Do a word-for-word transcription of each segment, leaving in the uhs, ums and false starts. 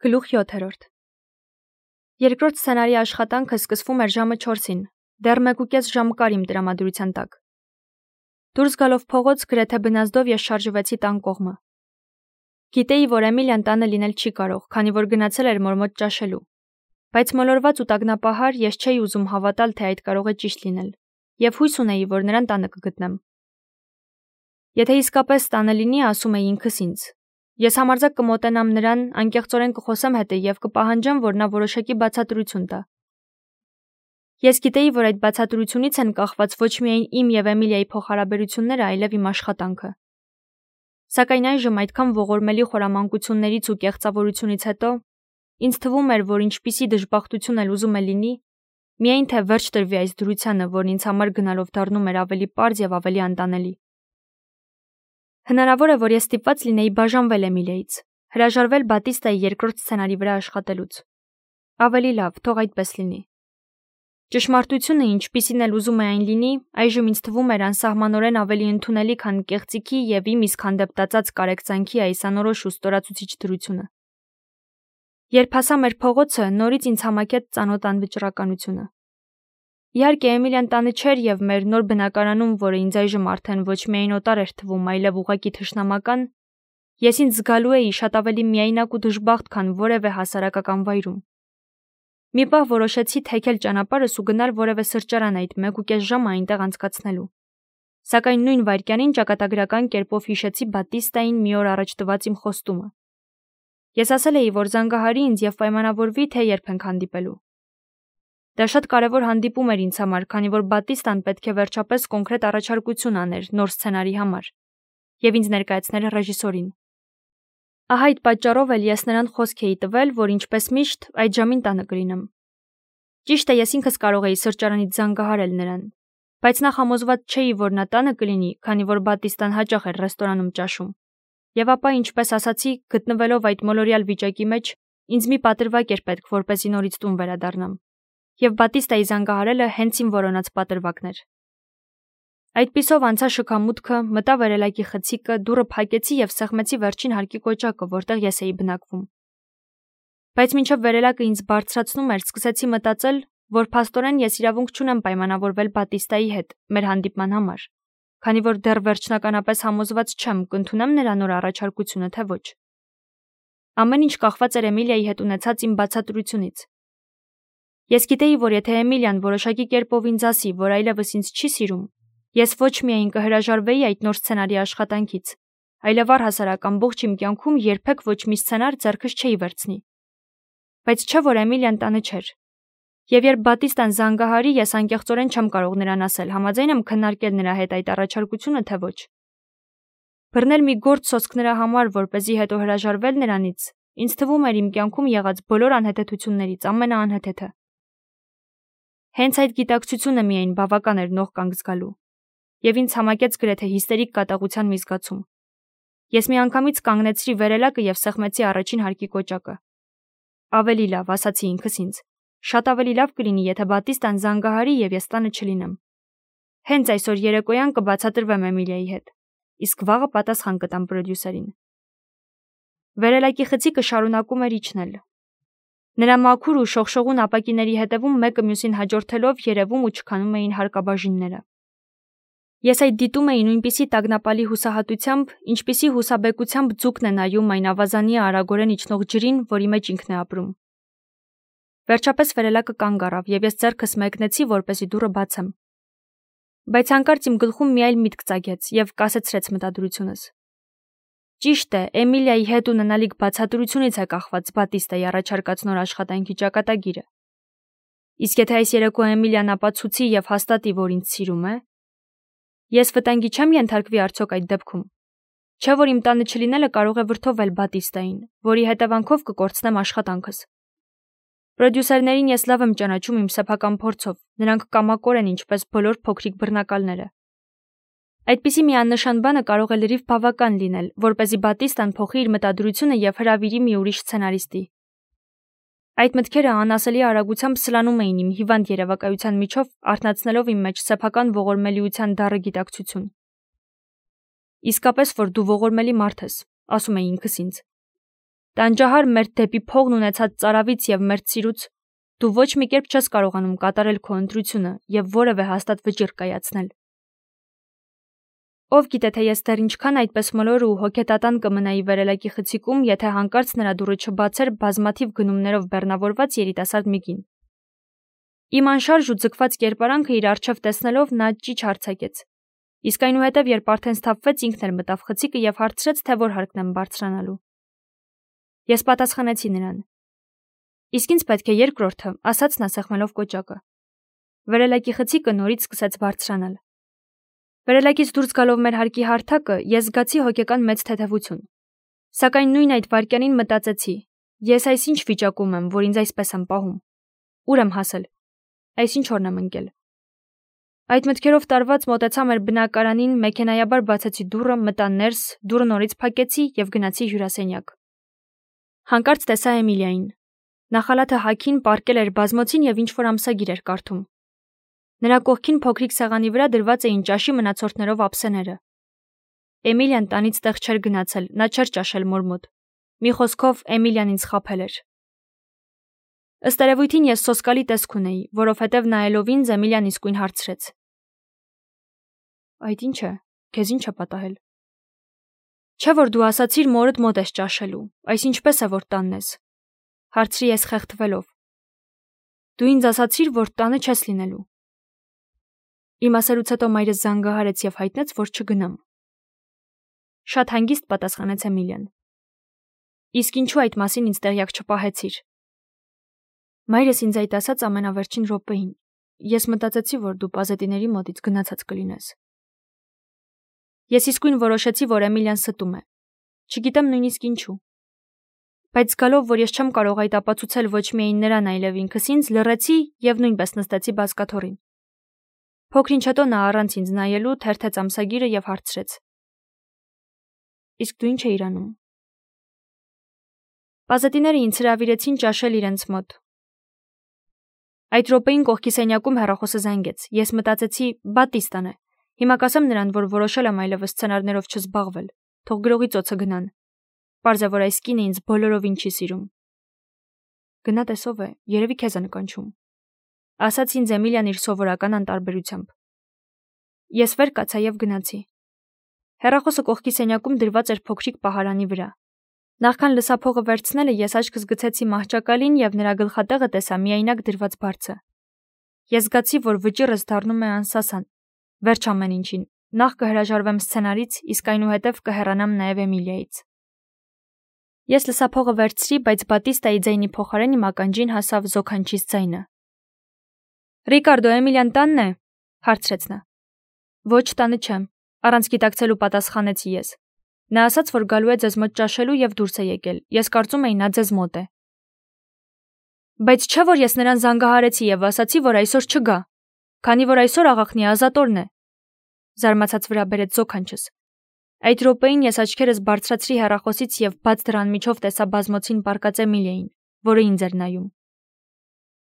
Գլուխ յոթերորդ Երկրորդ սցենարի աշխատանքը սկսվում էր ժամը չորսին, դեռ մեկուկես ժամ կար իմ տրամադրության տակ։ Դուրս գալով փողոց գրեթե բնազդով ես շարժվեցի տան կողմը։ Գիտեի, որ Էմիլիան տանը լինել չի կարող, քանի որ գնացել էր մոր մոտ ճաշելու։ Բայց մոլորված ու տագնապահար ես չէի ուզում հավատալ, թե այդ կարող է ճիշտ լինել, եւ հույս ունեի, որ նրան տանը կգտնեմ։ Եթե իսկապես տանը լինի, ասում էի ինքս ինձ, ես համարձակ կմոտենամ նրան, անկեղծորեն կխոսեմ հետը եւ կպահանջեմ, որ նա որոշակի բացատրություն տա։ Ես գիտեի, որ այդ բացատրությունից են կախված ոչ միայն իմ եւ Էմիլիայի փոխհարաբերությունները, այլև իմ աշխատանքը։ Սակայն այժմ այդքան ողորմելի խորամանկություններից ու կեղծավորությունից հետո ինձ թվում էր, որ ինչպիսի դժբախտություն էլ ուզում է լինի, միայն թե վերջ տրվի այս դրությանը, որն ինձ համար գնալով դառնում էր ավելի պարզ եւ ավելի անտանելի։ Հնարավոր է, որ ես ստիպված լինեի բաժանվել Էմիլիայից, հրաժարվել Բատիստայի երկրորդ սցենարի վրա աշխատելուց։ Ավելի լավ, թող այդպես լինի։ Ճշմարտությունը, ինչպիսին էլ ուզում է այն լինի, այժմ ինձ թվում էր անսահմանորեն ավելի ընդունելի, քան կեղծիքի եւ իմ իսկ հանդեպ կարեկցանքի այս անորոշ ու ստորացուցիչ դրությունը։ Երբ հասա մեր փողոցը, նորից ինձ համակեց ծանոթ անվճռականությունը։ Իհարկե, Էմիլիան տանը չէր եւ մեր նոր բնակարանում, որը ինձ այժմ արդեն ոչ միայն օտար էր թվում, այլև ուղղակի թշնամական, ես ինձ զգալու էի շատ ավելի միայնակ ու դժբախտ, քան որևէ հասարակական վայրում։ Մի պահ որոշեցի թեքել ճանապարհս ու գնալ որևէ սրճարան այդ մեկուկես ժամը այնտեղ անցկացնելու։ Սակայն նույն վայրկյանին ճակատագրական կերպով հիշեցի Բատիստային մի օր առաջ տված իմ խոստումը։ Ես ասել էի, որ զանգահարի ինձ եւ պայմանավորվի, թե երբ ենք հանդիպելու։ Դա շատ կարևոր հանդիպում էր ինձ համար, քանի որ Բատիստան պետք է վերջապես կոնկրետ առաջարկություն աներ նոր սցենարի համար եւ ինձ ներկայացներ ռեժիսորին։ Ահա այդ պատճառով էլ ես նրան խոսք էի տվել, որ ինչպես միշտ այդ ժամին տանը կլինեմ։ Ճիշտ է, ես ինքս կարող էի սրճարանից զանգահարել նրան, բայց նա համոզված չէի, որ նա տանը կլինի, քանի որ Բատիստան հաճախ էր ռեստորանում ճաշում։ Եվ ապա, ինչպես ասացի, գտնվելով այդ մոլորյալ վիճակի մեջ, ինձ մի պատրվակ էր պետք, որպեսզի նորից տուն վերադառնամ։ Եվ Բատիստայի զանգահարելը հենց իմ որոնած պատրվակն էր։ Այդպիսով անցա շքամուտքը, մտա վերելակի խցիկը, դուռը փակեցի եւ սեղմեցի վերջին հարկի կոճակը, որտեղ ես էի բնակվում։ Բայց մինչև վերելակը ինձ բարձրացնում էր, սկսեցի մտածել, որ փաստորեն ես իրավունք չունեմ պայմանավորվել Բատիստայի հետ մեր հանդիպման համար, քանի որ դեռ վերջնականապես համոզված չեմ, կընդունեմ նրա նոր առաջարկությունը, թե ոչ։ Ամեն ինչ կախված էր Էմիլիայի հետ ունեցած իմ բացատրությունից։ Ես գիտեի, որ եթե Էմիլիան որոշակի կերպով ինձ ասի, որ այլևս ինձ չի սիրում, ես ոչ միայն կհրաժարվեի այդ նոր սցենարի աշխատանքից, այլև առհասարակ ամբողջ իմ կյանքում երբեք ոչ մի սցենար ձեռքս չէի վերցնի։ Բայց չէ՞ որ Էմիլիան տանը չէր։ Եվ երբ Բատիստան զանգահարի, ես անկեղծորեն չեմ կարող նրան ասել, համաձայն եմ քննարկել նրա հետ այդ առաջարկությունը, թե ոչ։ Բռնել մի գործ սոսկ նրա համար, որպեսզի հետո հրաժարվել նրանից, ինձ թվում էր իմ կյանքում եղած բոլոր անհեթեթություններից ամենաանհեթեթը։ Հենց այդ գիտակցությունը միայն բավական էր նող կանգ զգալու, եւ ինձ համակեց գրեթե հիստերիկ կատաղության մի զգացում։ Ես միանգամից կանգնեցրի վերելակը եւ սեղմեցի առաջին հարկի կոճակը։ Ավելի լավ, ասացի ինքս ինձ, շատ ավելի լավ կլինի, եթե Բատիստան զանգահարի եւ ես տանը չլինեմ։ Հենց այսօր երեկոյան կբացատրվեմ Էմիլիայի հետ, իսկ վաղը պատասխան կտամ պրոդյուսերին։ Վերելակի խցիկը շարունակում էր իջնել։ Նրա մաքուր ու շողշողուն ապակիների հետևում մեկը մյուսին հաջորդելով երևում ու չքանում էին հարկաբաժինները։ Ես այդ դիտում էի նույնպիսի տագնապալի հուսահատությամբ, ինչպիսի հուսաբեկությամբ ձուկն է նայում այն ավազանի արագորեն իջնող ջրին, որի մեջ ինքն է ապրում։ Վերջապես վերելակը կանգ առավ, եւ ես ձեռքս մեկնեցի, որպեսզի դուռը բացեմ։ Բայց հանկարծ իմ գլխում մի այլ միտք ծագեց եւ կասեցրեց մտադրությունս։ Ճիշտ է, Էմիլիայի հետ ունենալիք բացատրությունից է կախված Բատիստայի առաջարկած նոր աշխատանքի ճակատագիրը։ Իսկ եթե այս երեկո Էմիլիան ապացուցի եւ հաստատի, որ ինձ սիրում է, ես վտանգի չեմ ենթարկվի արդյոք այդ դեպքում։ Չէ՞ որ իմ տանը չլինելը կարող է վրդովել Բատիստային, որի հետևանքով կկորցնեմ աշխատանքս։ Պրոդյուսերներին ես լավ եմ ճանաչում իմ սեփական փորձով, նրանք կամակոր են ինչպես բոլոր փոքրիկ բռնակալները։ Այդպիսի մի աննշան բանը կարող է լրիվ բավական լինել, որպեսզի Բատիստան փոխի իր մտադրությունը եւ հրավիրի մի ուրիշ սցենարիստի։ Այդ մտքերը անասելի արագությամբ սլանում էին իմ հիվանդ երևակայության միջով, արթնացնելով իմ մեջ սեփական ողորմելիության դառը գիտակցություն։ Իսկապես որ դու ողորմելի մարդ ես, ասում էի ինքս ինձ։ Տանջահար մերթ դեպի փողն ունեցած ծարավից եւ մերթ սիրուց դու ոչ մի կերպ չես կարողանում կատարել քո ընտրությունը եւ որևէ հաստատ վճիռ կայացնել։ Ով գիտե թե ես դեռ ինչքան այդպես մոլոր ու հոգետատան կմնայի վերելակի խցիկում, եթե հանկարծ նրա դուռը չբացեր բազմաթիվ գնումներով բեռնավորված երիտասարդ մի կին։ Իմ անշարժ ու ձգված կերպարանքը իր առջև տեսնելով նա ճիչ հարցակեց։ Իսկ այնուհետև երբ արդեն սթափվեց ինքն էլ մտավ խցիկը եւ հարցրեց, թե որ հարկն եմ բարձրանալու։ Ես պատասխանեցի նրան. Իսկ ինձ պետք է երկրորդը, ասաց նա սեղմելով կոճակը։ Վերելակի խցիկը նորից սկսեց բարձրանալ։ Վերելակից դուրս գալով մեր հարկի հարթակը ես զգացի հոգեկան մեծ թեթևություն։ Սակայն նույն այդ վայրկյանին մտածեցի. ես այսինչ վիճակում եմ, որ ինձ այսպես եմ պահում։ Ուր եմ հասել։ Այսինչ օրն եմ ընկել։ Այդ մտքերով տարված մոտեցա մեր բնակարանին, մեքենայաբար բացեցի դուռը, մտա ներս, դուռը նորից փակեցի եւ գնացի հյուրասենյակ։ Հանկարծ տեսա Էմիլիային։ Նախալաթը հագին պառկել էր բազմոցին եւ ինչ-որ ամսագիր էր կարդում։ Նրա կողքին փոքրիկ սեղանի վրա դրված էին ճաշի մնացորդներով ափսեները։ Էմիլիան տանից տեղ չէր գնացել, նա չէր ճաշել մոր մոտ։ Մի խոսքով Էմիլիան ինձ խաբել էր։ Ըստ երևույթին ես սոսկալի տեսք ունեի, որովհետև նայելով ինձ Էմիլիան իսկույն հարցրեց. Այդ ինչ է, քեզ ինչ է պատահել։ Չէ՞ որ դու ասացիր մորդ մոտ ես ճաշելու, այս ինչպես է որ տանն ես։ Հարցրի ես խեղդվելով։ Դու ինձ ասացիր, որ տանը չես լինելու։ Իմ ասելուց հետո մայրս զանգահարեց եւ հայտնեց, որ չգնամ։ Շատ հանգիստ պատասխանեց Էմիլիան։ Իսկ ինչու այդ մասին ինձ տեղյակ չպահեցիր։ Մայրս ինձ այդ ասաց ամենավերջին րոպեին։ Ես մտածեցի, որ դու պազետիների մոտից գնացած կլինես։ Ես իսկույն որոշեցի, որ Էմիլիան ստում է։ Չգիտեմ նույնիսկ ինչու։ Բայց զգալով, որ ես չեմ կարող այդ ապացուցել ոչ միայն նրան, այլև ինքս ինձ, լռեցի եւ նույնպես նստեցի բազկաթոռին։ Փոքրինչ հետո նա առանց ինձ նայելու թերթեց ամսագիրը եւ հարցրեց. Իսկ դու ինչ էիր անում։ Պազետիները ինձ հրավիրեցին ճաշել իրենց մոտ։ Այդ րոպեին կողքի սենյակում հեռախոսը զանգեց։ Ես մտածեցի, Բատիստան է։ Հիմա կասեմ նրան, որ որոշել եմ այլևս սցենարներով չզբաղվել։ Թող գրողի ծոցը գնան։ Պարզ է, որ այս կինը ինձ բոլորովին չի սիրում։ Գնա տեսով է, երևի քեզ է նկանչում։ Ասաց ինձ Էմիլիան իր սովորական անտարբերությամբ։ Ես վեր կացա եւ գնացի։ Հեռախոսը կողքի սենյակում դրված էր փոքրիկ պահարանի վրա։ Նախքան լսափողը վերցնելը ես աչքս գցեցի մահճակալին եւ նրա գլխատեղը տեսա միայնակ դրված բարձը։ Ես զգացի, որ վճիռս դառնում է անսասան։ Վերջ ամեն ինչին։ Նախ կհրաժարվեմ սցենարից, իսկ այնուհետև կհեռանամ նաեւ Էմիլիայից։ Ես լսափողը վերցրի, բայց Բատիստայի ձայնի փոխարեն իմ ականջին հասավ զոքանչից ձայնը։ Ռիկարդո, Էմիլիան տանն է, հարցրեց նա։ Ոչ, տանը չեմ, առանց գիտակցելու պատասխանեցի ես։ Նա ասաց, որ գալու է ձեզ մոտ ճաշելու եւ դուրս է եկել։ Ես կարծում էի նա ձեզ մոտ է։ Բայց չէ՞ որ ես նրան զանգահարեցի եւ ասացի, որ այսօր չգա, քանի որ այսօր աղախնի ազատորն է։ Զարմացած վրա բերեց զոքանչս։ Այդ րոպեին ես աչքերս բարձրացրի հեռախոսից եւ բաց դռան միջով տեսա բազմոցին պառկած Էմիլիային, որը ինձ էր նայում։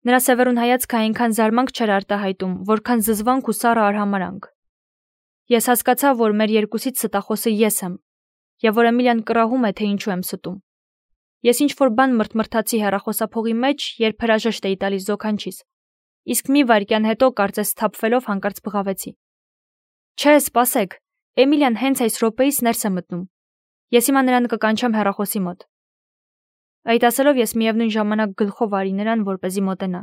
Նրա սևեռուն հայացքը այնքան զարմանք չէր արտահայտում, որքան զզվանք ու սառը արհամարանք։ Ես հասկացա, որ մեր երկուսից ստախոսը ես եմ, եւ որ Էմիլիան կռահում է, թե ինչու եմ ստում։ Ես ինչ-որ բան մրթմրթացի հեռախոսափողի մեջ, երբ հրաժեշտ էի տալիս զոքանչից, իսկ մի վայրկյան հետո կարծես սթափվելով հանկարծ բղավեցի. Չէ, սպասեք, Էմիլիան հենց այս րոպեից ներս է մտնում։ Ես հիմա նրան կկանչեմ հեռախոսի մոտ։ Այդ ասելով ես միևնույն ժամանակ գլխով արի նրան, որպեսզի մոտենա։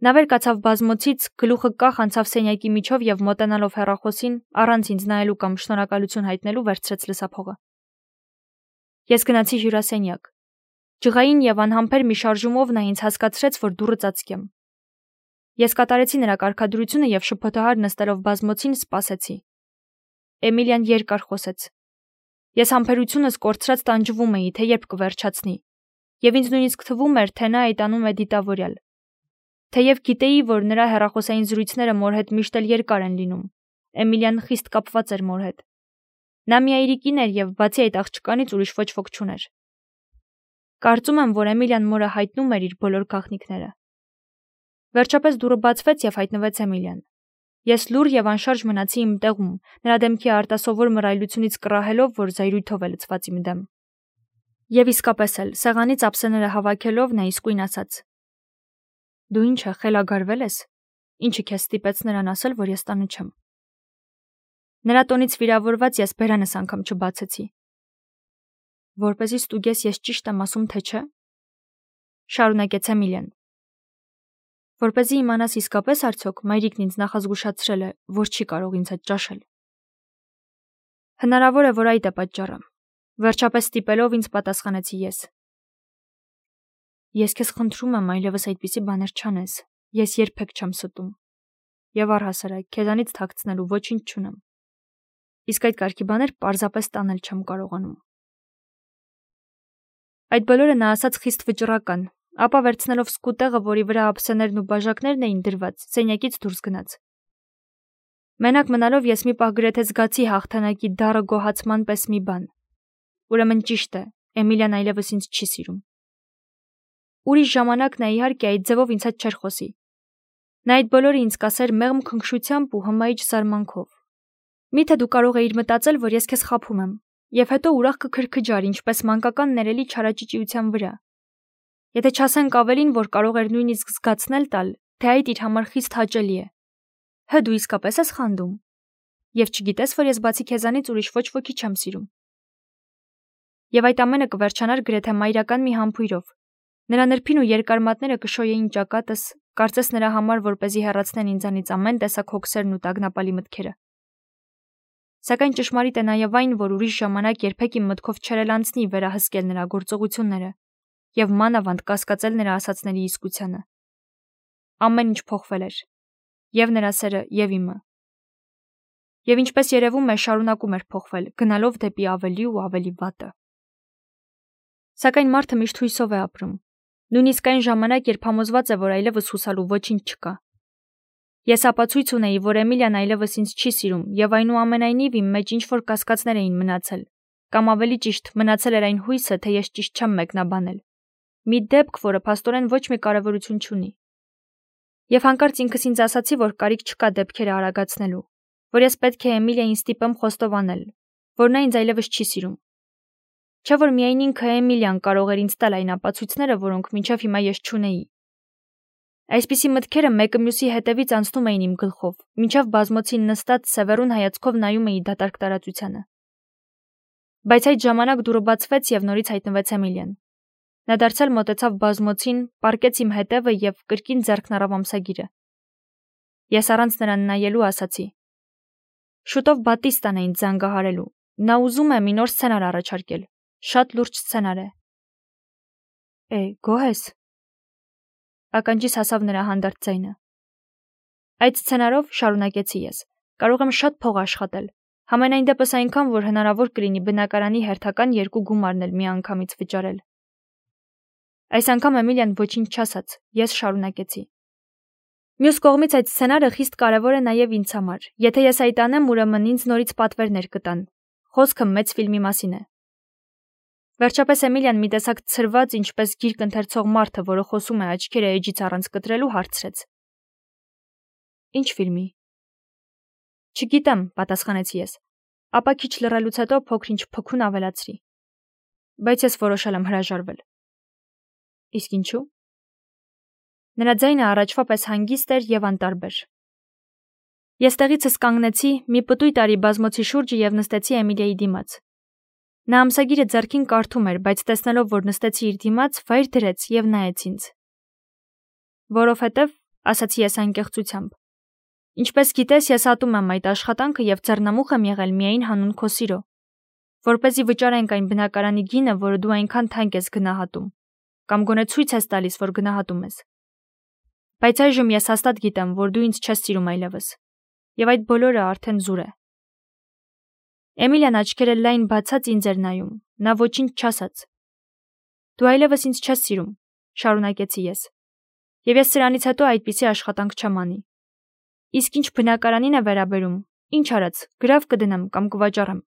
Նա վեր կացավ բազմոցից, գլուխը կախ անցավ սենյակի միջով եւ մոտենալով հեռախոսին, առանց ինձ նայելու կամ շնորհակալություն հայտնելու վերցրեց լսափողը։ Ես գնացի հյուրասենյակ։ Ջղային եւ անհամբեր մի շարժումով նա ինձ հասկացրեց, որ դուռը ծածկեմ։ Ես կատարեցի նրա կարգադրությունը եւ շփոթահար նստելով բազմոցին սպասեցի։ Էմիլիան երկար խոսեց։ Ես համբերությունս կորցրած տանջվում էի, թե երբ կվերջացնի, եւ ինձ նույնիսկ թվում էր, թե նա այտանում է դիտավորյալ։ Թեև գիտեի, որ նրա հեռախոսային զրույցները մոր հետ միշտ էլ երկար են լինում, Էմիլիան խիստ կապված էր մոր հետ։ Նա մի այրիկին էր եւ բացի այդ աղջկանից ուրիշ ոչ ոք չուներ։ Կարծում եմ, որ Էմիլիան մորը հայտնում էր իր բոլոր գաղտնիքները։ Վերջապես դուռը բացվեց եւ հայտնվեց Էմիլիան։ Ես լուռ եւ անշարժ մնացի իմ տեղում, նրա դեմքի արտասովոր մռայլությունից կռահելով, որ զայրույթով է լցված իմ դեմ։ Եվ իսկապես էլ, սեղանից ափսեները հավաքելով նա իսկույն ասաց. Դու ինչ է, խելագարվել ես, ինչը քեզ ստիպեց նրան ասել, որ ես տանը չեմ։ Նրա տոնից վիրավորված ես բերանս անգամ չբացեցի։ Որպեսզի ստուգես ես ճիշտ եմ ասում, թե չէ, շարունակեց Էմիլիան։ Որպեսզի իմանաս իսկապես արդյոք մայրիկն ինձ նախազգուշացրել է, որ չի կարող ինձ հետ ճաշել։ Հնարավոր է, որ այդ է պատճառը։ Վերջապես ստիպելով ինձ պատասխանեցի ես։ Ես քեզ խնդրում եմ այլևս այդպիսի բաներ չանես, ես երբեք չեմ ստում։ Եվ առհասարակ քեզանից թաքցնելու ոչինչ չունեմ։ Իսկ այդ կարգի բաներ պարզապես տանել չեմ կարողանում։ Այդ բոլորը նա ասաց խիստ վճռական, ապա վերցնելով սկուտեղը, որի վրա ափսեներն ու բաժակներն էին դրված, սենյակից դուրս գնաց։ Մենակ մնալով ես մի պահ գրեթե զգացի հաղթանակի դառը գոհացման պես մի բան։ Ուրեմն ճիշտ է, Էմիլիան այլևս ինձ չի սիրում։ Ուրիշ ժամանակ նա իհարկե այդ ձևով ինձ հետ չէր խոսի։ Նա այդ բոլորը ինձ կասեր մեղմ քնքշությամբ ու հմայիչ զարմանքով։ Միթե դու կարող էիր մտածել, որ ես քեզ խաբում եմ, եւ հետո ուրախ կքրքջար, ինչպես մանկական ներելի չարաճճիության վրա։ Եթե չասենք ավելին, որ կարող էր նույնիսկ զգացնել տալ, թե այդ իր համար խիստ հաճելի է։ Հը դու իսկապես ես խանդում։ Եվ չգիտես, որ ես բացի քեզանից ուրիշ ոչ ոքի չեմ սիրում։ Եվ այդ ամենը կվերջանար գրեթե մայրական մի համբույրով։ Նրա նրբին ու երկար մատները կշոյեին ճակատս, կարծես նրա համար, որպեսզի հեռացնեն ինձանից ամեն տեսակ հոգսերն ու տագնապալի մտքերը։ Սակայն ճշմարիտ է նաև այն, որ ուրիշ ժամանակ երբեք իմ մտքով չէր անցնի վերահսկել նրա գործողությունները եւ մանավանդ կասկածել նրա ասածների իսկությանը։ Ամեն ինչ փոխվել էր, եւ նրա սերը, եւ իմը։ Եվ ինչպես երևում է, շարունակում էր փոխվել, գնալով դեպի ավելի ու ավելի վատը։ Սակայն մարդը միշտ հույսով է ապրում, նույնիսկ այն ժամանակ, երբ համոզված է, որ այլևս հուսալու ոչինչ չկա։ Ես ապացույց ունեի, որ Էմիլիան այլևս ինձ չի սիրում, եւ այնուամենայնիվ իմ մեջ ինչ-որ կասկածներ էին մնացել, կամ ավելի ճիշտ, մնացել էր այն հույսը, թե ես ճիշտ չեմ մեկնաբանել։ Մի դեպք, որը փաստորեն ոչ մի կարևորություն չունի։ Եվ հանկարծ ինքս ինձ ասացի, որ կարիք չկա դեպքերը արագացնելու, որ ես պետք է Էմիլիային ստիպեմ խոստովանել, որ նա ինձ այլևս չի սիրում։ Չէ՞ որ միայն ինքը Էմիլիան կարող էր ինձ տալ այն ապացույցները, որոնք մինչև հիմա ես չունեի։ Այսպիսի մտքերը մեկը մյուսի հետևից անցնում էին իմ գլխով, մինչև բազմոցին նստած սևեռուն հայացքով նայում էի դատարկ տարածությանը։ Բայց այդ ժամանակ դուռը բացվեց եւ նորից հայտնվեց Էմիլիան։ Նա դարձյալ մոտեցավ բազմոցին, պառկեց իմ հետևը եւ կրկին ձեռքն առավ ամսագիրը։ Ես առանց նրան նայելու ասացի. Շուտով Բատիստան է ինձ զանգահարելու։ Նա ուզում է մի նոր սցենար առաջարկել։ Շատ լուրջ սցենար է։ Է, գոհ ես։ Ականջիս հասավ նրա հանդարտ ձայնը։ Այդ սցենարով, շարունակեցի ես, կարող եմ շատ փող աշխատել, համենայն դեպս այնքան, որ հնարավոր կլինի բնակարանի հերթական երկու գումարն էլ միանգամից վճարել։ Այս անգամ Էմիլիան ոչինչ չասաց, ես շարունակեցի։ Մյուս կողմից այդ սցենարը խիստ կարևոր է նաև ինձ համար։ Եթե ես այդ անեմ, ուրեմն ինձ նորից պատվերներ կտան։ Խոսքը մեծ ֆիլմի մասին է։ Վերջապես Էմիլիան մի տեսակ ցրված, ինչպես գիրք ընթերցող մարդը, որը խոսում է աչքերը էջից առանց կտրելու, հարցրեց. Ինչ ֆիլմի։ Չգիտեմ, պատասխանեցի ես, ապա քիչ լռելուց հետո փոքր-ինչ փքուն ավելացրի։ Բայց ես որոշել եմ հրաժարվել։ Իսկ ինչու։ Նրա ձայնը առաջվա պես հանգիստ էր եւ անտարբեր։ Ես տեղիցս կանգնեցի, մի պտույտ արի բազմոցի շուրջը եւ նստեցի Էմիլիայի դիմաց։ Նա ամսագիրը ձեռքին կարդում էր, բայց տեսնելով, որ նստեցի իր դիմաց, վայր դրեց եւ նայեց ինձ։ Որովհետեւ, ասացի ես անկեղծությամբ, ինչպես գիտես, ես ատում եմ այդ աշխատանքը եւ ձեռնամուխ եմ եղել միայն հանուն քո սիրո, որպեսզի վճարենք այն բնակարանի գինը, որը դու այնքան թանկ ես գնահատում, կամ գոնե ցույց ես տալիս, որ գնահատում ես։ Բայց այժմ ես հաստատ գիտեմ, որ դու ինձ չես սիրում այլևս, եւ այդ բոլորը արդեն զուր է։ Էմիլիան աչքերը լայն բացած ինձ էր նայում, նա ոչինչ չասաց։ Դու այլևս ինձ չես սիրում, շարունակեցի ես, եւ ես սրանից հետո այդպիսի աշխատանք չեմ անի։ Իսկ ինչ բնակարանին է վերաբերում, ինչ արած, գրավ կդնեմ կամ կվաճառեմ։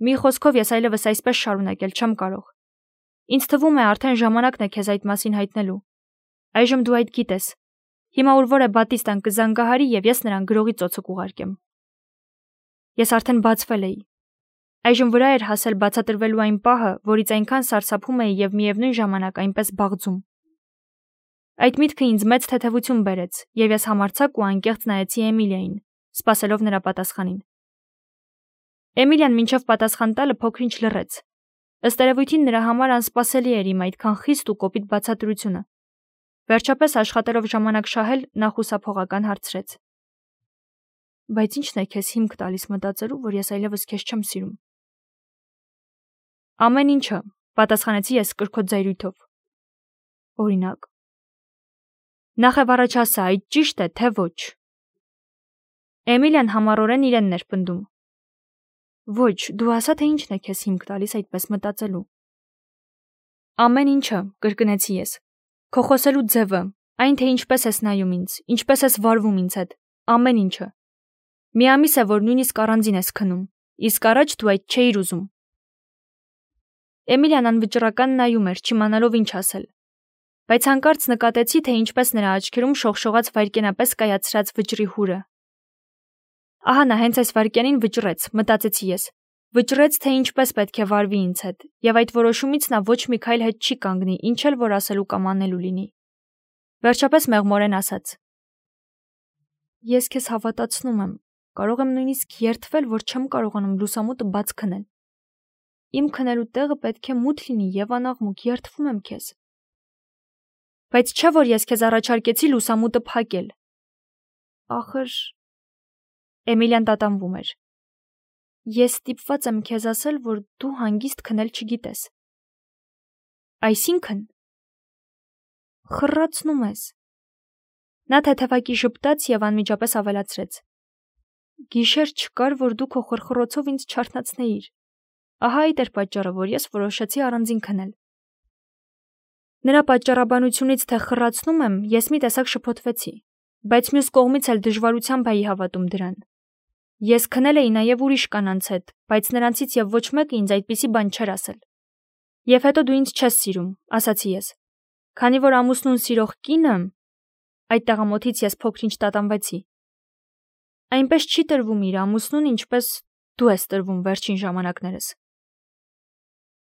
Մի խոսքով ես այլևս այսպես շարունակել չեմ կարող։ Ինձ թվում է արդեն ժամանակն է քեզ այդ մասին հայտնելու։ Այժմ դու այդ գիտես։ Հիմա ուր որ է Բատիստան կզանգահարի եւ ես նրան գրողի ծոցը կուղարկեմ։ Ես արդեն բացվել էի։ Այժմ վրա էր հասել բացատրվելու այն պահը, որից այնքան սարսափում էի եւ միևնույն ժամանակ այնպես բաղձում։ Այդ միտքը ինձ մեծ թեթևություն բերեց, եւ ես համարձակ ու անկեղծ նայեցի Էմիլիային, սպասելով նրա պատասխանին։ Էմիլիան մինչև պատասխան տալը փոքրինչ լռեց։ Ըստ երևույթին նրա համար անսպասելի էր իմ այդքան խիստ ու կոպիտ բացատրությունը։ Վերջապես աշխատելով ժամանակ շահել, նա խուսափողական հարցրեց. Բայց ի՞նչն է քեզ հիմք տալիս մտածելու, որ ես այլևս քեզ չեմ սիրում։ Ամեն ինչը, պատասխանեցի ես կրկոտ զայրույթով։ Օրինակ։ Նախև առաջ ասա, այդ ճիշտ է, թե ոչ։ Էմիլիան համառորեն իրենն էր պնդում։ Ոչ, դու ասա, թե ինչն է քեզ հիմք տալիս այդպես մտածելու։ Ամեն ինչը, կրկնեցի ես։ Քո խոսելու ձևը, այն թե ինչպես ես նայում ինձ, ինչպես ես վարվում ինձ հետ, ամեն ինչը։ Մի ամիս է, որ նույնիսկ առանձին ես քնում, իսկ առաջ դու այդ չէիր ուզում։ Էմիլիան անվճռական նայում էր, չիմանալով ինչ ասել։ Բայց հանկարծ նկատեցի, թե ինչպես նրա աչքերում շողշողաց վայրկենապես կայացրած վճռի հուրը։ Ահա նա հենց այս վայրկյանին վճռեց, մտածեցի ես։ Վճռեց, թե ինչպես պետք է վարվի ինձ հետ, եւ այդ որոշումից նա ոչ մի քայլ հետ չի կանգնի, ինչ էլ որ ասելու կամ անելու լինի։ Վերջապես մեղմորեն ասաց. Ես քեզ հավատացնում եմ, կարող եմ նույնիսկ երդվել, որ չեմ կարողանում լուսամուտը բաց քնել։ Իմ քնելու տեղը պետք է մութ լինի եւ անաղմուկ, երդվում եմ քեզ։ Բայց չէ՞ որ ես քեզ առաջարկեցի լուսամուտը փակել։ Ախր Էմիլիան տատանվում էր։ Ես ստիպված եմ քեզ ասել, որ դու հանգիստ քնել չգիտես։ Այսինքն խռացնում ես։ Նա թեթևակի ժպտաց եւ անմիջապես ավելացրեց. Գիշեր չկար, որ դու քո խրխրոցով ինձ չարթնացնեիր։ Ահա այդ էր պատճառը, որ ես որոշեցի առանձին քնել։ Նրա պատճառաբանությունից, թե խռացնում եմ, ես մի տեսակ շփոթվեցի, բայց մյուս կողմից էլ դժվարությամբ էի հավատում դրան։ Ես քնել էի նաև ուրիշ կանանց հետ, բայց նրանցից եւ ոչ մեկը ինձ այդպիսի բան չէր ասել։ Եվ հետո դու ինձ չես սիրում, ասացի ես։ Քանի որ ամուսնուն սիրող կինը, այդ տաղամոթից ես փոքրինչ տատանվեցի։ Այնպես չի տրվում իր ամուսնուն, ինչպես դու ես տրվում վերջին ժամանակներս։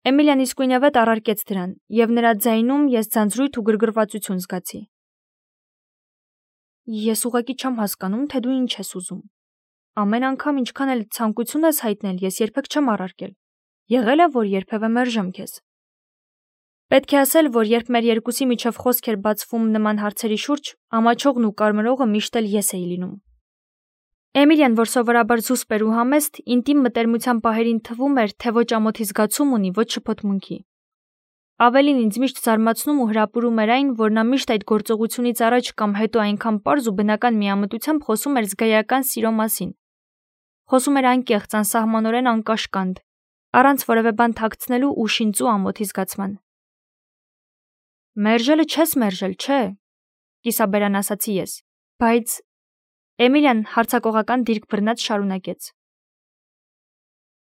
Էմիլիան իսկույնավետ առարկեց դրան, եւ նրա ձայնում ես ձանձրույթ ու գրգռվածություն զգացի։ Ես ուղղակի չեմ հասկանում, թե դու ինչ ես ուզում։ Ամեն անգամ ինչքան էլ ցանկություն ես հայտնել, ես երբեք չեմ առարկել։ Եղել է, որ երբևէ մերժեմ քեզ։ Պետք է ասել, որ երբ մեր երկուսի միջև խոսք էր բացվում նման հարցերի շուրջ, ամաչողն ու կարմրողը միշտ էլ ես էի լինում։ Էմիլիան, որ սովորաբար զուսպ էր ու համեստ, ինտիմ մտերմության պահերին թվում էր, թե ոչ ամոթի զգացում ունի, ոչ շփոթմունքի։ Ավելին ինձ միշտ զարմացնում ու հրապուրում էր այն, որ նա միշտ այդ գործողությունից առաջ կամ հետո այնքան պարզ ու բնական միամտությամբ խոսում էր զգայական սիրո մասին։ Խոսում էր անկեղծ, անսահմանորեն անկաշկանդ, առանց որևէ բան թաքցնելու ու շինծու ամոթի զգացման։ Մերժելը չես մերժել, չէ՞, կիսաբերան ասացի ես, բայց Էմիլիան հարցակողական դիրք բռնած շարունակեց.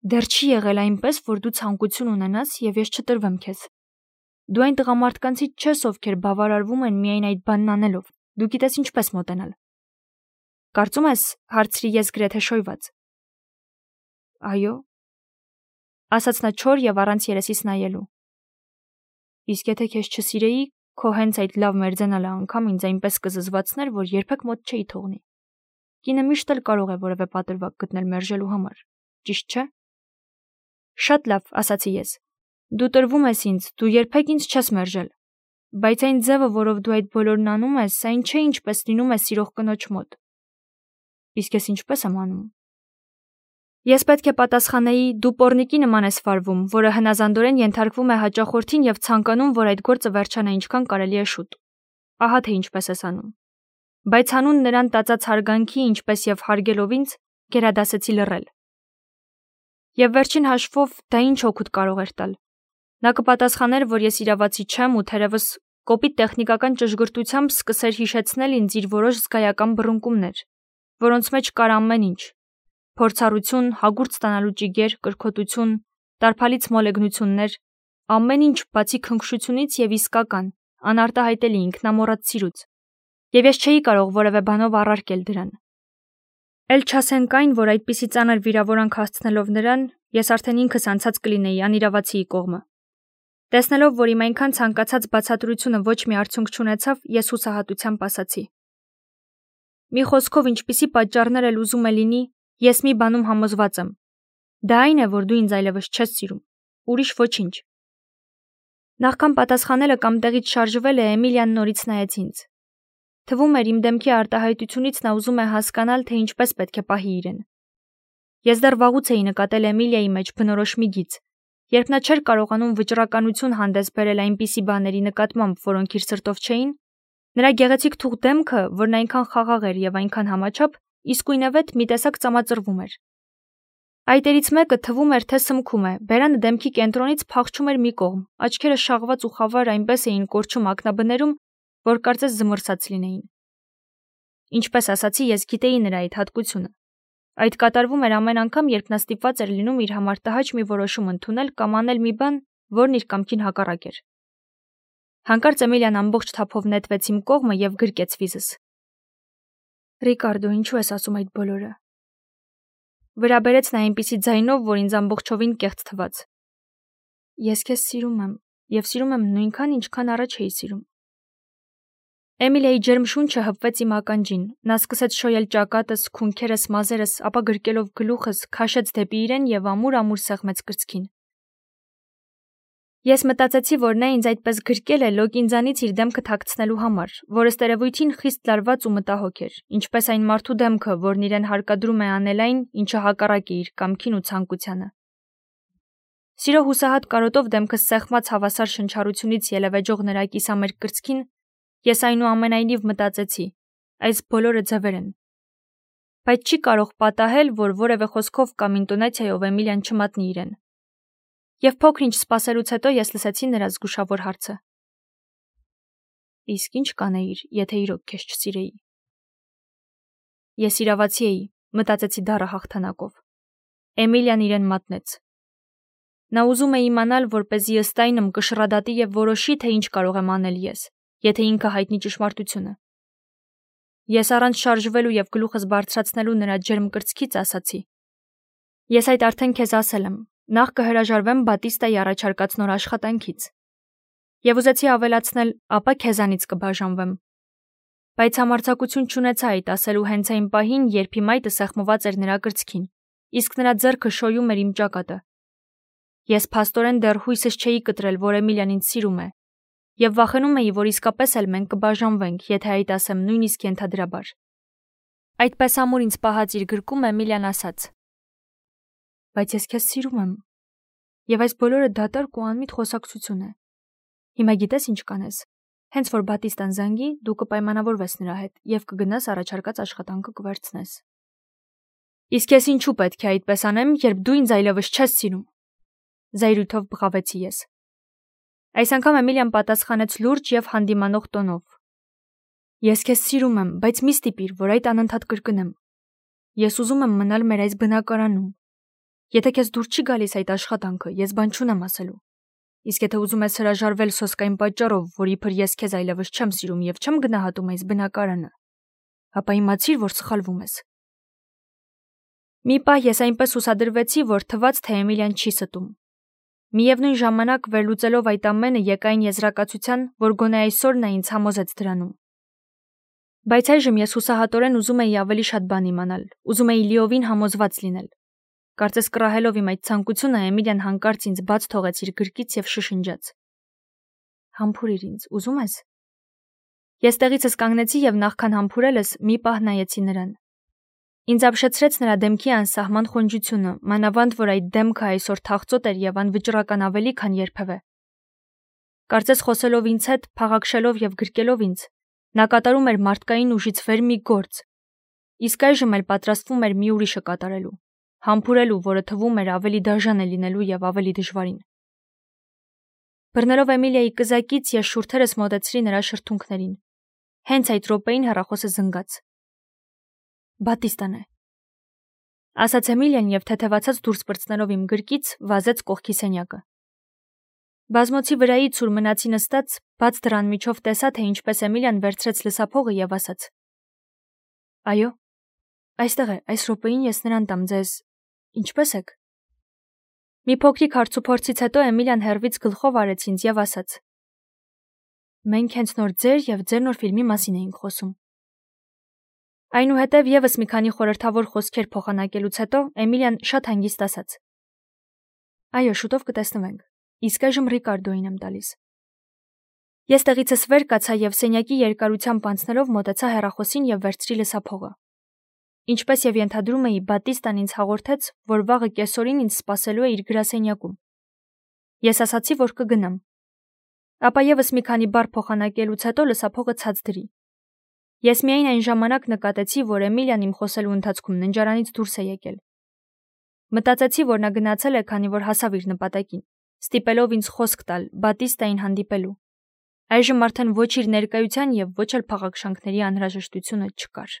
Դեռ չի եղել այնպես, որ դու ցանկություն ունենաս եւ ես չտրվեմ քեզ։ Դու այն տղամարդկանցից չես, ովքեր բավարարվում են միայն այդ բանն անելով։ Դու գիտես ինչպես մոտենալ։ Կարծում ես, հարցրի ես գրեթե շոյված։ Այո, ասաց նա չոր եւ առանց երեսից նայելու։ Իսկ եթե քեզ չսիրեի, քո հենց այդ լավ մերձենալը անգամ ինձ այնպես կզզվացներ, որ երբեք մոտ չէի թողնի։ Կինը միշտ էլ կարող է որևէ պատրվակ գտնել մերժելու համար, ճիշտ չէ։ Շատ լավ, ասացի ես։ Դու տրվում ես ինձ, դու երբեք ինձ չես մերժել։ Բայց այն ձևը, որով դու այդ բոլորն անում ես, այն չէ ինչպես լինում է սիրող կնոջ մոտ։ Իսկ ես ինչպես եմ անում։ Ես պետք է պատասխանեի, դու պոռնիկի նման ես վարվում, որը հնազանդորեն ենթարկվում է հաճախորդին եւ ցանկանում, որ այդ գործը վերջանա ինչքան կարելի է շուտ։ Ահա թե ինչպես ես անում։ Բայց հանուն նրան տածած հարգանքի, ինչպես եւ հարգելով ինձ, գերադասեցի լռել։ Եվ վերջին հաշվով դա ինչ օգուտ կարող էր տալ։ Նա կպատասխաներ, որ ես իրավացի չեմ ու թերևս կոպիտ տեխնիկական ճշգրտությամբ սկսեր հիշեցնել ինձ իր որոշ զգայական բռունկումներ, որոնց մեջ կար ամեն ինչ. փորձառություն, հագուրդ ստանալու ճիգեր, կրքոտություն, տարփալից մոլեգնություններ, ամեն ինչ բացի քնքշությունից եւ իսկական, անարտահայտելի ինքնամոռաց սիրուց։ Եվ ես չէի կարող որևէ բանով առարկել դրան։ Էլ չասենք այն, որ այդպիսի ծանր վիրավորանք հասցնելով նրան, Ես արդեն ինքս անցած կլինեի անիրավացիի կողմը։ Տեսնելով, որ իմ այնքան ցանկացած բացատրությունը ոչ մի արդյունք չունեցավ, ես հուսահատությամբ ասացի. Մի խոսքով, ինչպիսի պատճառներ էլ ուզում է լինի, ես մի բանում համոզված եմ։ Դա այն է, որ դու ինձ այլևս չես սիրում։ Ուրիշ ոչինչ։ Նախքան պատասխանելը կամ տեղից շարժվելը Էմիլիան նորից նայեց ինձ։ Թվում էր իմ դեմքի արտահայտությունից նա ուզում է հասկանալ, թե ինչպես պետք է պահի իրեն։ Ես դեռ վաղուց էի նկատել Էմիլիայի մեջ բնորոշ մի գիծ, երբ նա չէր կարողանում վճռականություն հանդես բերել այնպիսի բաների նկատմամբ, որոնք իր սրտով չէին, նրա գեղեցիկ թուղ դեմքը, որն այնքան խաղաղ էր եւ այնքան համաչափ, իսկույնևեթ մի տեսակ ծամածրվում էր։ Այտերից մեկը թվում էր, թե սմքում է, բերանը դեմքի կենտրոնից փախչում էր մի կողմ, աչքերը շաղված ու խավար այնպես էին կորչում ակնաբներում, որ կարծես զմռսած լինեին։ Ինչպես ասացի, ես գիտեի նրա այդ հատկությունը։ Այդ կատարվում էր ամեն անգամ, երբ նա ստիպված էր լինում իր համար տհաճ մի որոշում ընդունել կամ անել մի բան, որն իր կամքին հակառակ էր։ Հանկարծ Էմիլիան ամբողջ թափով նետվեց իմ կողմը եւ գրկեց վիզս։ Ռիկարդո, ինչու ես ասում այդ բոլորը։ Վրա բերեց նա այնպիսի ձայնով, որ ինձ ամբողջովին կեղծ թվաց։ Ես քեզ սիրում եմ եւ սիրում եմ նույնքան, ինչքան առաջ էի սիրում։ Էմիլիայի ջերմ շունչը հպվեց իմ ականջին, նա սկսեց շոյել ճակատս, քունքերս, մազերս, ապա գրկելով գլուխս, քաշեց դեպի իրեն եւ ամուր-ամուր սեղմեց կրծքին։ Ես մտածեցի, որ նա ինձ այդպես գրկել է լոկ ինձանից իր դեմքը թաքցնելու համար, որը ստերևույթին խիստ լարված ու մտահոգ էր, ինչպես այն մարդու դեմքը, որն իրեն հարկադրում է անել այն, ինչը հակառակ է իր կամքին ու ցանկությանը։ Սիրո հուսահատ կարոտով դեմքս սեղմած հավասար շնչառությունից ելևեջող նրա կիսամերկ կրծքին, ես այնուամենայնիվ մտածեցի, այս բոլորը ձևեր են։ Բայց չի կարող պատահել, որ որևէ խոսքով կամ ինտոնացիայով Էմիլիան չմատնի իրեն։ Եվ փոքր-ինչ սպասելուց հետո ես լսեցի նրա զգուշավոր հարցը. Իսկ ինչ կանեիր, եթե իրոք քեզ չսիրեի։ Ես իրավացի էի, մտածեցի դառը հաղթանակով։ Էմիլիան իրեն մատնեց։ Նա ուզում է իմանալ, որպեսզի ըստ այնմ կշռադատի եւ որոշի, թե ինչ կարող եմ անել ես, եթե ինքը հայտնի ճշմարտությունը։ Ես առանց շարժվելու եւ գլուխս բարձրացնելու նրա ջերմ կրծքից ասացի. Ես այդ արդեն քեզ ասել եմ, նախ կհրաժարվեմ Բատիստայի առաջարկած նոր աշխատանքից։ Եվ ուզեցի ավելացնել, ապա քեզանից կբաժանվեմ։ Բայց համարձակություն չունեցա այդ ասելու հենց այն պահին, երբ իմ այտը սեղմված էր նրա կրծքին, իսկ նրա ձեռքը շոյում էր իմ ճակատը։ Ես փաստորեն դեռ հույսս չէի կտրել, որ Էմիլիան ինձ սիրում է, եւ վախենում էի, որ իսկապես էլ մենք կբաժանվենք, եթե այդ ասեմ նույնիսկ ենթադրաբար։ Այդպես ամուր ինձ պահած իր գրկում Էմիլիան ասաց. Բայց ես քեզ սիրում եմ, եւ այս բոլորը դատարկ ու անմիտ խոսակցություն է։ Հիմա գիտես ինչ կանես։ Հենց որ Բատիստան զանգի, դու կպայմանավորվես նրա հետ եւ կգնաս առաջարկած աշխատանքը կվերցնես։ Իսկ ես ինչու պետք է այդպես անեմ, երբ դու ինձ այլևս չես սիրում։ Զայրույթով բղավեցի ես։ Այս անգամ Էմիլիան պատասխանեց լուրջ եւ հանդիմանող տոնով. Ես քեզ սիրում եմ, բայց մի ստիպիր, որ այդ անընդհատ կրկնեմ։ Ես ուզում եմ մնալ մեր այս բնակարանում։ Եթե քեզ դուր չի գալիս այդ աշխատանքը, ես բան չունեմ ասելու։ Իսկ եթե ուզում ես հրաժարվել սոսկային պատճառով, որ իբր ես քեզ այլևս չեմ սիրում եւ չեմ գնահատում այս բնակարանը, ապա իմացիր, որ սխալվում ես։ Մի պահ ես այնպես ուսադրվեցի, որ թվաց, թե Էմիլիան չի ստում։ Միևնույն ժամանակ վերլուծելով այդ ամենը եկա այն եզրակացության, որ գոնե այսօր նա ինձ համոզեց դրանում։ Բայց այժմ ես հուսահատորեն ուզում էի ավելի շատ բան իմանալ, ուզում էի լիովին համոզված լինել։ Կարծես կռահելով իմ այդ ցանկությունը, Էմիլիան հանկարծ ինձ բաց թողեց իր գրկից եւ շշնջաց. Համբուրիր ինձ, ուզում ես։ Ես տեղիցս կանգնեցի եւ նախքան համբուրելս մի պահ նայեցի նրան։ Ինձ ապշեցրեց նրա դեմքի անսահման խոնջությունը, մանավանդ որ այդ դեմքը այսօր թախծոտ էր եւ անվճռական ավելի, քան երբևէ։ Կարծես խոսելով ինձ հետ, փաղաքշելով եւ գրկելով ինձ, նա կատարում էր մարդկային ուժից վեր մի գործ, իսկ այժմ էլ պատրաստվում էր մի ուրիշը կատարելու, համբուրելու, որը թվում էր ավելի դաժան է լինելու եւ ավելի դժվարին։ Բռնելով Էմիլիայի կզակից ես շուրթերս մոտեցրի նրա շրթունքներին։ Հենց այդ րոպեին հեռախոսը զնգաց։ Բատիստան է, ասաց Էմիլիան եւ թեթևացած դուրս պրծնելով իմ գրկից վազեց կողքի սենյակը։ Բազմոցի վրայից ուր մնացի նստած, բաց դռան միջով տեսա, թե ինչպես Էմիլիան վերցրեց լսափողը եւ ասաց. Այո, այստեղ է, այս րոպեին ես նրան տամ ձեզ։ Ինչպե՞ս եք։ Մի փոքրիկ հարցուփորձից հետո Էմիլիան հեռվից գլխով արեց ինձ եւ ասաց. Մենք հենց նոր ձեր եւ ձեր նոր ֆիլմի մասին էինք խոսում։ Այնուհետև եւս մի քանի խորհրդավոր խոսքեր փոխանակելուց հետո Էմիլիան շատ հանգիստ ասաց. Այո, շուտով կտեսնվենք։ Իսկ այժմ Ռիկարդոին եմ տալիս։ Ես տեղիցս վեր կացա եւ սենյակի երկարությամբ անցնելով մոտեցա հեռախոսին եւ վերցրի լսափողը։ Ինչպես եւ ենթադրում էի, Բատիստան ինձ հաղորդեց, որ վաղը կեսօրին ինձ սպասելու է իր գրասենյակում։ Ես ասացի, որ կգնամ։ Ապա եւս մի քանի բառ փոխանակելուց հետո լսափողը ցած դրի։ Ես միայն այն ժամանակ նկատեցի, որ Էմիլիան իմ խոսելու ընթացքում ննջարանից դուրս է եկել։ Մտածեցի, որ նա գնացել է, քանի որ հասավ իր նպատակին, ստիպելով ինձ խոսք տալ Բատիստային հանդիպելու։ Այժմ արդեն ոչ իր ներկայության եւ ոչ էլ փաղաքշանքների անհրաժեշտությունը չկար։